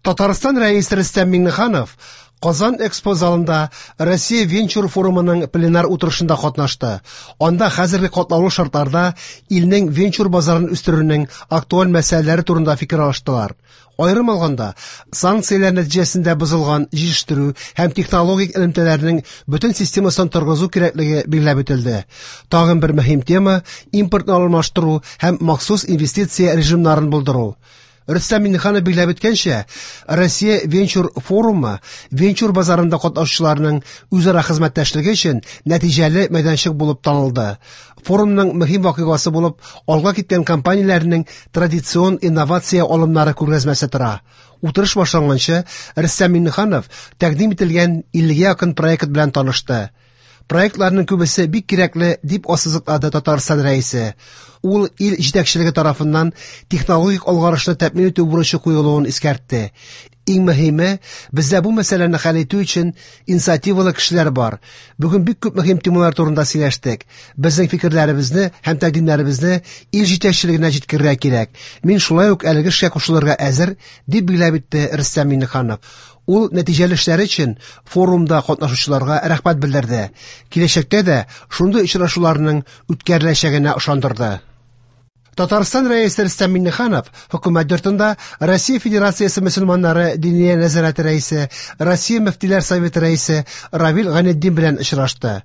Татарстан Рәисе Рөстәм Миңнеханов Казан Экспо залында Россия венчур форумының пленар утырышында катнашты. Анда хәзерге катлаулы шартларда илнең венчур базарын үстерүнең актуаль мәсьәләләре турында фикер алыштылар. Аерым алганда, санкцияләр нәтиҗәсендә бозылган җитештерү һәм технологик элемтәләрнең бөтен системасын торгызу кирәклеге билгеләп үтелде. Тагын бер мөһим тема импортны алмаштыру һәм махсус инвестиция режимнарын булдыру. Рөстәм Миңнеханов билгеләп үткәнчә, Россия венчур форумы венчур базарында катнашучыларның үзара хезмәттәшлеге өчен нәтиҗәле мәйданчык булып танылды. Форумның мөһим вакыйгасы булып алга киткән компанияләрнең традицион инновация алымнары күргәзмәсе тора. Утырыш башланганчы Рөстәм Миңнеханов тәкъдим ителгән 50 якын проект белән танышты. Проектларның күбесе бик кирәкле, дип ассызыклады Татарстан Рәисе. Ул ил җитәкчелеге тарафыннан технологик алгарышны тәэмин итү бурычы куелуын искәртте. Иң мөһиме, бездә бу мәсьәләне хәл итү өчен инициативалы кешеләр бар. Бүген бик күп мөһим темалар турында сөйләштек. Безнең фикерләребезне һәм тәкъдимнәребезне ил җитәкчелегенә җиткерергә кирәк. Мин шулай ук әлеге эшкә кушылырга әзер, дип билгеләп үтте Рөстәм Миңнеханов. Ул нәтиҗәле эшләре өчен форумда катнашучыларга рәхмәт белдерде. Киләчәктә дә шундый очрашуларның үткәреләчәгенә ышандырды. Татарстан Рәисе Рөстәм Миңнеханов хөкүмәт йортында Россия Федерациясе мөселманнары Диния нәзарәте рәисе, Россия мөфтиләр советы рәисе Равил Гайнетдин белән очрашты.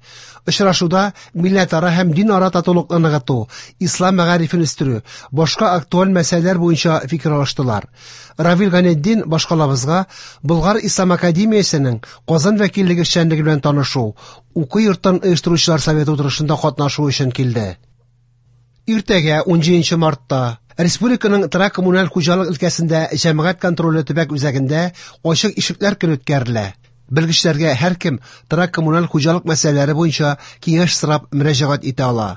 Очрашуда милләтара һәм динара татулыкны ныгыту, ислам мәгарифен үстерү, башка актуаль мәсьәләләр буенча фикер алыштылар. Равил Гайнетдин башкалабызга Болгар ислам академиясенең Казан вәкиллеге эшчәнлеге белән танышу, уку йортын оештыручылар советы утырышында катнашу өчен килде. Иртәгә 17 мартта республиканың торак коммуналь хуҗалык өлкәсендә җәмәгать контроле төбәк үзәгендә ачык ишекләр көне үткәрелә. Белгечләргә һәркем торак коммуналь хуҗалык мәсьәләләре буенча киңәш сорап мөрәҗәгать итә ала.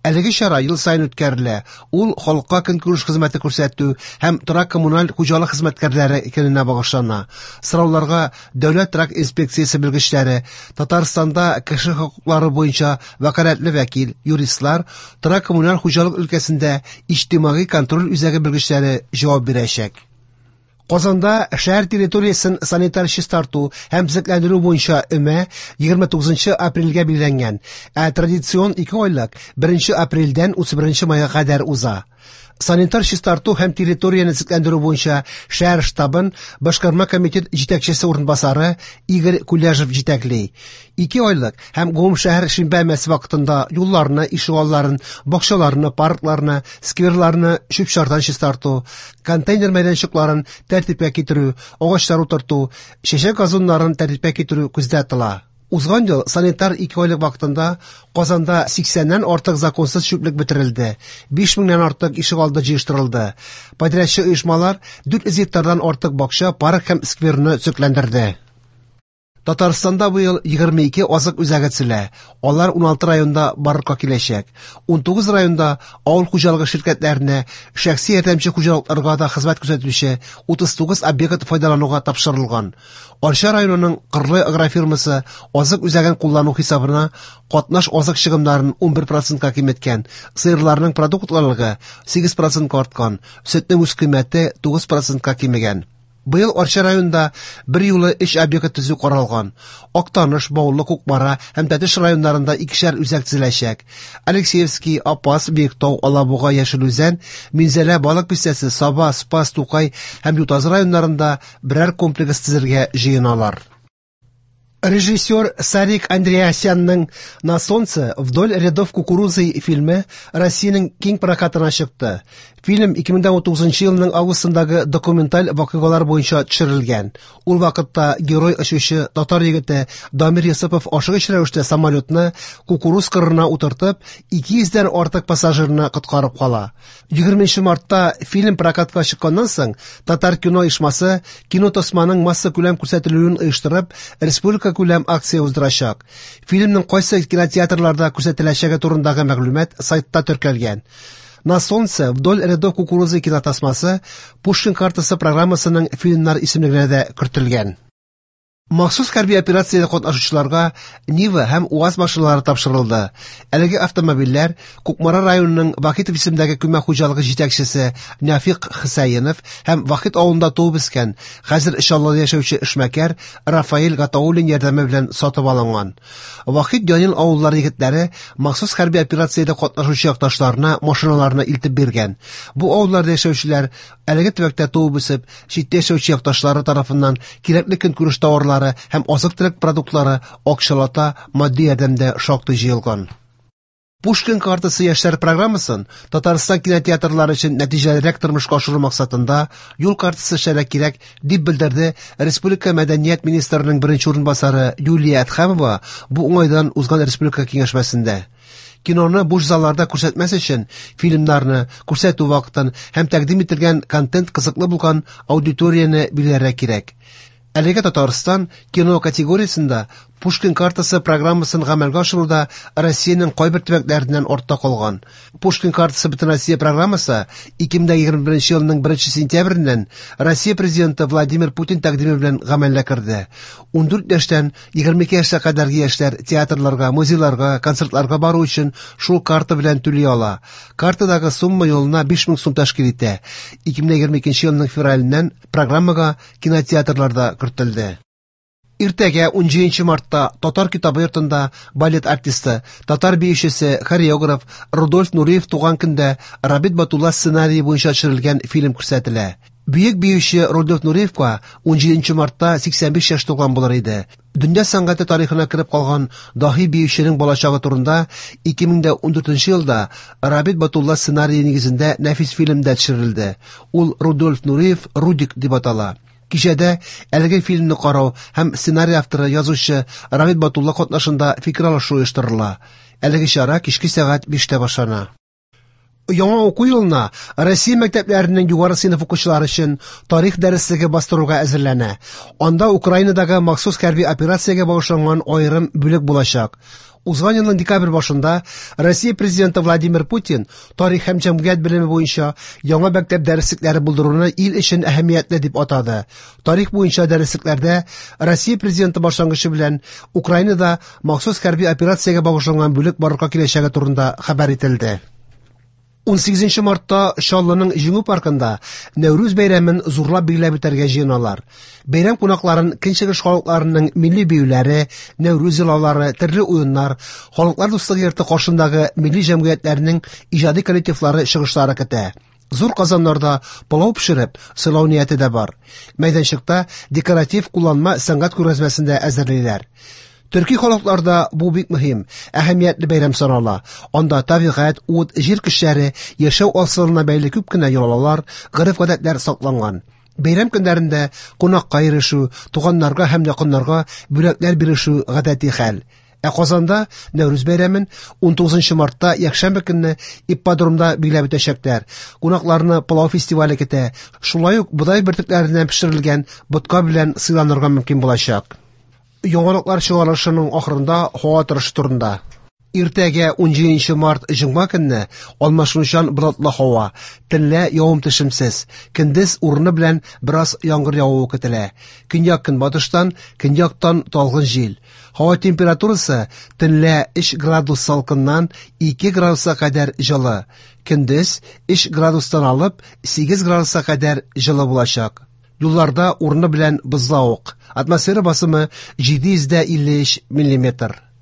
Әлеге чара ел саен үткәрелә. Ул халыкка көнкүреш хезмәте күрсәтү һәм торак коммуналь хуҗалык хезмәткәрләре көненә багышлана. Сорауларга Дәүләт торак инспекциясе белгечләре, Татарстанда кеше хокуклары буенча вәкаләтле вәкил, юристлар, торак коммуналь хуҗалык өлкәсендә иҗтимагый контроль үзәге белгечләре җавап бирәчәк. Казанда шәһәр территориясен санитар чистарту һәм төзекләндерү буенча өмә 29 апрельгә билгеләнгән, ә традицион 2 айлык 1 апрельдән 31 майга кадәр уза. Санитар чистарту һәм территорияне төзекләндерү буенча шәһәр штабын башкарма комитет җитәкчесе урынбасары Игорь Куляжев җитәкли. 2 айлык һәм гомумшәһәр шимбә өмәсе вакытында юлларны, ишегалларын, бакчаларны, паркларны, скверларны чүп-чардан чистарту, контейнер мәйданчыкларын тәртипкә китерү, агачлар утырту, чәчәк газоннарын тәртипкә китерү күздә тотыла. Узган ел санитар 2 айлык вакытында Казанда 80-нән артык законсыз чүплек бетерелде, 5000-нән артык ишегалды җыештырылды. Подрядчы оешмалар 400 гектардан артык бакча, парк һәм скверны төзекләндерде. Татарстанда быел 22 азык үзәге төзелә. Алар 16 районда барлыкка киләчәк. 19 районда авыл хуҗалыгы ширкәтләренә, шәхси ярдәмче хуҗалыкларга да хезмәт күрсәтүче 39 объект файдалануга тапшырылган. Арча районының Кырлай агрофирмасы азык үзәген куллану хисабына катнаш азык чыгымнарын 11%-ка киметкән, сыерларның продуктлылыгы 8%-ка арткан, сөтнең үзкыйммәте 9%-ка кимегән. Быел Арча районында бер юлы 3 объект төзү каралган. Актаныш, Баулы, Кукмара һәм Тәтеш районнарында икешәр үзәк төзеләчәк. Алексеевский, Апас, Биектау, Алабуга, Яшел Үзән, Минзәлә, Балык Бистәсе, Саба, Спас, Тукай һәм Ютазы районнарында берәр комплекс төзергә җыеналар. Режиссер Сарик Андреасянның «На солнце вдоль рядов кукурузы» фильмы Россиянең киң прокатына чыкты. Фильм 2019 елның августындагы документаль вакыйгалар буенча төшерелгән. Ул вакытта герой очучы татар егете Дамир Йосыпов ашыгыч рәвештә самолетны кукуруз кырына утыртып, 200дән артык пассажирны коткарып кала. 20 мартта фильм прокатка чыкканнан соң Татар кино оешмасы кинотасманың массакүләм күрсәтелүен оештырып, республика күләм акция уздырачак. Фильмның кайсы кинотеатрларда күрсәтеләчәге турындагы мәгълүмат сайтта теркәлгән. На солнце вдоль рядов кукурузы кинотасмасы Пушкин картасы программасының фильмнар исемлегенә дә кертелгән. Махсус хәрби операциядә катнашучыларга Нива һәм УАЗ машиналары тапшырылды. Әлеге автомобильләр Кукмара районының Вахитов исемендәге күмәк хуҗалыгы җитәкчесе Нәфыйк Хөсәенов һәм Вахит авылында туып үскән, хәзер Чаллыда яшәүче эшмәкәр Рафаэль Гатауллин ярдәме белән сатып алынган. Вахит Янил авыллары егетләре махсус хәрби операциядә катнашучы якташларына машиналарны илтеп биргән. Бу авылларда яшәүчеләр әлеге төбәктә туып үсеп, читтә яшәүче якташлары тарафыннан кирәкле көнкүреш товарлары һәм азык-төлек продуктлары акчалата матди ярдәмдә шактый җыелган. Пушкин картасы яшьләр программасын Татарстан кинотеатрлары өчен нәтиҗәлерәк тормышка ашыру максатында юл картасы эшләргә кирәк, дип белдерде республика мәдәният министрының беренче урынбасары Юлия Әдһәмова бу уңайдан узган республика киңәшмәсендә. Киноны буш залларда күрсәтмәс өчен фильмнарны күрсәтү вакытын һәм тәкъдим ителгән контент кызыклы булган аудиторияне билгеләргә кирәк. Әлегә Татарстан кино категориясендә Пушкин картасы программасын гамәлгә ашыруда Россиянең кайбер төбәкләреннән артта калган. Пушкин картасы Бөтенроссия программасы 2021 елның 1 сентябреннән Россия Президенты Владимир Путин тәкъдиме белән гамәлгә керде. 14 яшьтән 22 яшькә кадәрге яшьләр театрларга, музейларга, концертларга бару өчен шул карта белән түли ала. Картадагы сумма елына 5000 сум тәшкил итә. 2022 елның февраленнән программага кинотеатрлар да кертелде. Иртәгә 17 мартта Татар китабы йортында балет артисты, татар биючесе, хореограф Рудольф Нуриев туган көндә Рабит Батулла сценарие буенча төшерелгән фильм күрсәтелә. Бөек биюче Рудольф Нуриевка 17 мартта 85 яшь тулган булыр иде. Дөнья сәнгате тарихына кереп калган даһи биюченең балачагы турында 2014 елда Рабит Батулла сценарие нигезендә нәфис фильм дә төшерелде. Ул Рудольф Нуриев Рудик дип атала. Кичәдә әлеге фильмны карау һәм сценарий авторы язучы Рабит Батулла катнашында фикер алышу оештырыла. Әлеге чара кичке сәгать 5тә башлана. Яңа уку елына Россия мәктәпләренең югары сыйныф укучылары өчен тарих дәреслеге бастыруга әзерләнә. Анда Украинадагы махсус хәрби операциягә багышланган аерым бүлек булачак. Узган елның декабрь башында Россия президенты Владимир Путин тарих һәм җәмгыять белеме буенча яңа мәктәп дәреслекләре булдыруны ил өчен әһәмиятле дип атады. Тарих буенча дәреслекләрдә Россия президенты башлангычы белән Украинада махсус хәрби операциягә багышланган бүлек барлыкка киләчәге турында хәбәр ителде. 18 мартта Чаллының Җиңү паркында Нәүрүз бәйрәмен зурлап билгеләп үтәргә җыеналар. Бәйрәм кунакларын көнчыгыш халыкларының милли биюләре, Нәүрүз йолалары, төрле уеннар, Халыклар дуслыгы йорты каршындагы милли җәмгыятьләрнең иҗади коллективлары чыгышлары көтә. Зур казаннарда пылау пешереп, сыйлау нияте дә бар. Мәйданчыкта декоратив кулланма сәнгать күргәзмәсен дә әзерлиләр. Төрки халыкларда бу бик мөһим, әһәмиятле бәйрәм санала. Анда табигать, ут, җир көчләре, яшәү асылына бәйле күп кенә йолалар, гореф-гадәтләр сакланган. Бәйрәм көннәрендә кунакка йөрешү, туганнарга һәм якыннарга бүләкләр бирешү гадәти хәл. Ә Казанда Нәүрүз бәйрәмен 19 мартта якшәмбе көнне ипподромда билгеләп үтәчәкләр. Кунакларны пылау фестивале көтә. Шулай ук бодай бөртекләреннән пешерелгән ботка белән сыйланырга мөмкин булачак. Яңалыклар чыгарылышының ахырында һава торышы турында. Иртәгә 17 март җомга көнне алмашынучан болытлы һава, төнлә явым-төшемсез, көндез урыны белән бераз яңгыр явуы көтелә. Көньяк-көнбатыштан, көньяктан талгын җил. Һава температурасы төнлә 3 градус салкыннан 2 градуска кадәр җылы, көндез 3 градустан алып 8 градуска кадәр җылы булачак. Юлларда урыны белән бозлавык. Атмосфера басымы 753 миллиметр.